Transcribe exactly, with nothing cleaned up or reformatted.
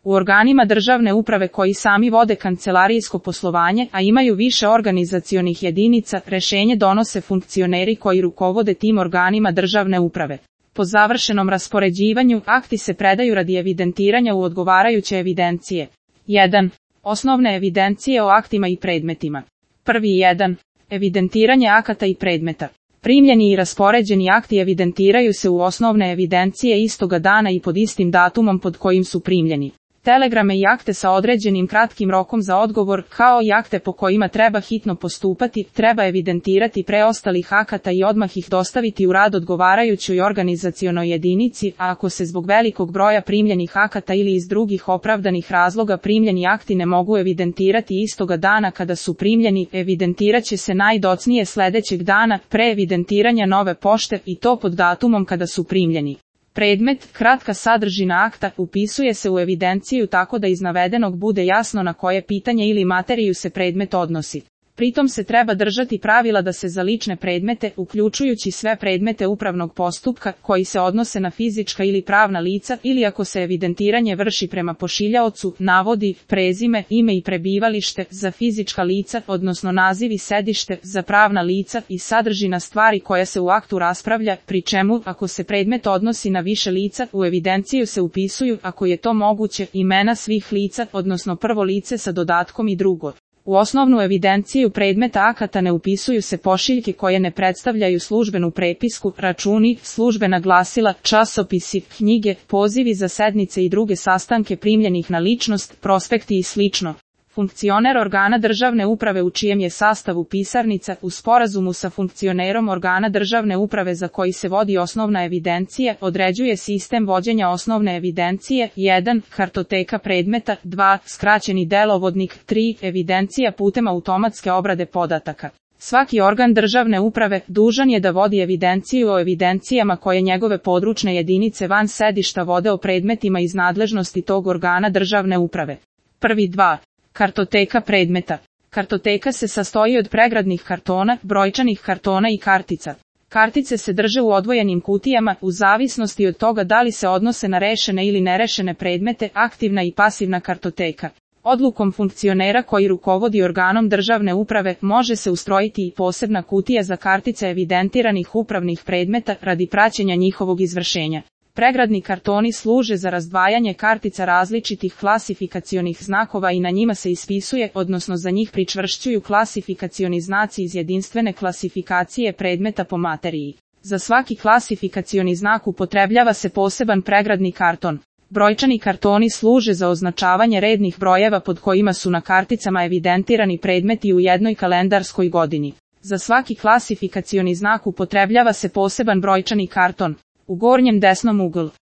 U organima državne uprave koji sami vode kancelarijsko poslovanje, a imaju više organizacionih jedinica, rešenje donose funkcioneri koji rukovode tim organima državne uprave. Po završenom raspoređivanju, akti se predaju radi evidentiranja u odgovarajuće evidencije. jedan. Osnovne evidencije o aktima i predmetima. Prvi jedan. Evidentiranje akata i predmeta. Primljeni i raspoređeni akti evidentiraju se u osnovne evidencije istoga dana i pod istim datumom pod kojim su primljeni. Telegrame i akte sa određenim kratkim rokom za odgovor, kao i akte po kojima treba hitno postupati, treba evidentirati preostalih akata i odmah ih dostaviti u rad odgovarajućoj organizacionoj jedinici, a ako se zbog velikog broja primljenih akata ili iz drugih opravdanih razloga primljeni akti ne mogu evidentirati istoga dana kada su primljeni, evidentiraće se najdocnije sledećeg dana, pre evidentiranja nove pošte i to pod datumom kada su primljeni. Predmet, kratka sadržina akta, upisuje se u evidenciju tako da iz navedenog bude jasno na koje pitanje ili materiju se predmet odnosi. Pritom se treba držati pravila da se za lične predmete, uključujući sve predmete upravnog postupka, koji se odnose na fizička ili pravna lica, ili ako se evidentiranje vrši prema pošiljaocu, navodi prezime, ime i prebivalište za fizička lica, odnosno naziv i sedište za pravna lica i sadržina stvari koja se u aktu raspravlja, pri čemu, ako se predmet odnosi na više lica, u evidenciju se upisuju, ako je to moguće, imena svih lica, odnosno prvo lice sa dodatkom i drugo. U osnovnu evidenciju predmeta akata ne upisuju se pošiljke koje ne predstavljaju službenu prepisku, računi, službena glasila, časopisi, knjige, pozivi za sednice i druge sastanke primljenih na ličnost, prospekti i slično. Funkcioner organa državne uprave u čijem je sastavu pisarnica, u sporazumu sa funkcionerom organa državne uprave za koji se vodi osnovna evidencija, određuje sistem vođenja osnovne evidencije, jedan. Kartoteka predmeta, dva. Skraćeni delovodnik, tri. Evidencija putem automatske obrade podataka. Svaki organ državne uprave dužan je da vodi evidenciju o evidencijama koje njegove područne jedinice van sedišta vode o predmetima iz nadležnosti tog organa državne uprave. Prvi dva. Kartoteka predmeta. Kartoteka se sastoji od pregradnih kartona, brojčanih kartona i kartica. Kartice se drže u odvojenim kutijama, u zavisnosti od toga da li se odnose na rešene ili nerešene predmete, aktivna i pasivna kartoteka. Odlukom funkcionera koji rukovodi organom državne uprave može se ustrojiti i posebna kutija za kartice evidentiranih upravnih predmeta radi praćenja njihovog izvršenja. Pregradni kartoni služe za razdvajanje kartica različitih klasifikacionih znakova i na njima se ispisuje, odnosno za njih pričvršćuju klasifikacioni znaci iz jedinstvene klasifikacije predmeta po materiji. Za svaki klasifikacioni znak upotrebljava se poseban pregradni karton. Brojčani kartoni služe za označavanje rednih brojeva pod kojima su na karticama evidentirani predmeti u jednoj kalendarskoj godini. Za svaki klasifikacioni znak upotrebljava se poseban brojčani karton. U gornjem desnom uglu